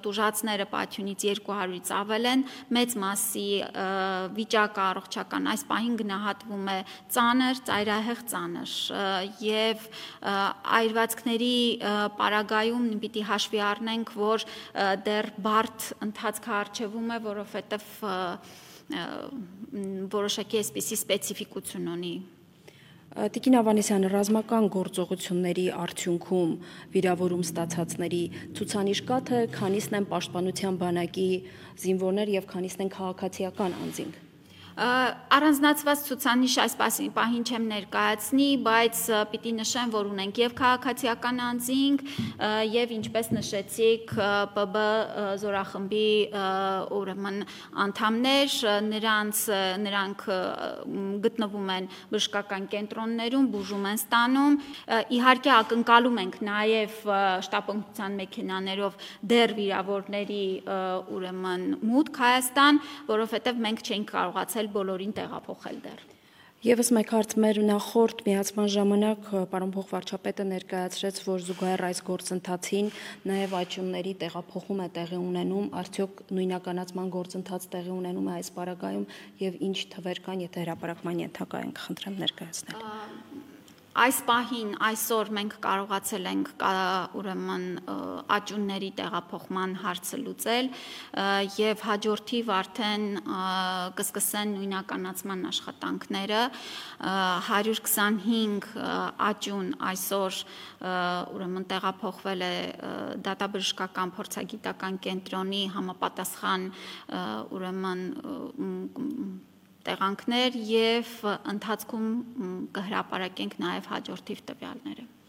տուժածները պատյունից 200-ից ավել են, մեծ մասի վիճակը առողջական այս պահին գնահատվում է ծանր, ծայրահեղ ծանր եւ այրվածքների պարագայում պիտի հաշվի առնենք, որ դեռ բարդ ընթացքը առջևում է, որովհետեւ որոշակի այսպիսի սպეციფიკություն ունի։ Տիկին Ավանեսյան, ռազմական գործողությունների արդյունքում վիրավորում ստացածների ցուցանիշ կա, թե քանիսն են պաշտպանության բանակի զինվորներ եւ քանիսն են քաղաքացիական անձինք։ Առանձնացված ցուցանիշ այս պահին չեմ ներկայացնի, բայց պիտի նշեմ, որ ունենք եւ քաղաքացիական անձինք եւ ինչպես նշեցիք ՊԲ զորախմբի ուրեմն անդամներ, նրանք գտնվում են բժշկական կենտրոններում, բուժում են ստանում, իհարկե ակնկալում ենք նաեւ շտապօգնության մեքենաներով դեռ վիրավորների ուրեմն մուտք Հայաստան, որովհետեւ մենք չենք կարողացել բոլորին տեղափոխել դեռ։ Եվս մեկ հարց, մեր նախորդ միացման ժամանակ պարոն փոխվարչապետը ներկայացրեց, որ զուգահեռ այս գործընթացին նաև աճյունների տեղափոխում է տեղի ունենում, արդյոք նույնականացման գործընթաց տեղի ունենում է այս պարագայում եւ ինչ թվեր կան, եթե հրապարակման ենթակա ենք, խնդրեմ ներկայացնել։ Այս պահին այսօր մենք կարողացել ենք ուրեմն աճյունների տեղափոխման հարցը լուծել եւ հաջորդիվ արդեն կսկսեն նույնականացման աշխատանքները 125 աճյուն այսօր ուրեմն տեղափոխվել է դատաբժշկական փորձագիտական կենտրոնի համապատասխան ուրեմն տեղանքներ եւ ընթացքում կհրապարակենք նաեւ հաջորդիվ տվյալները։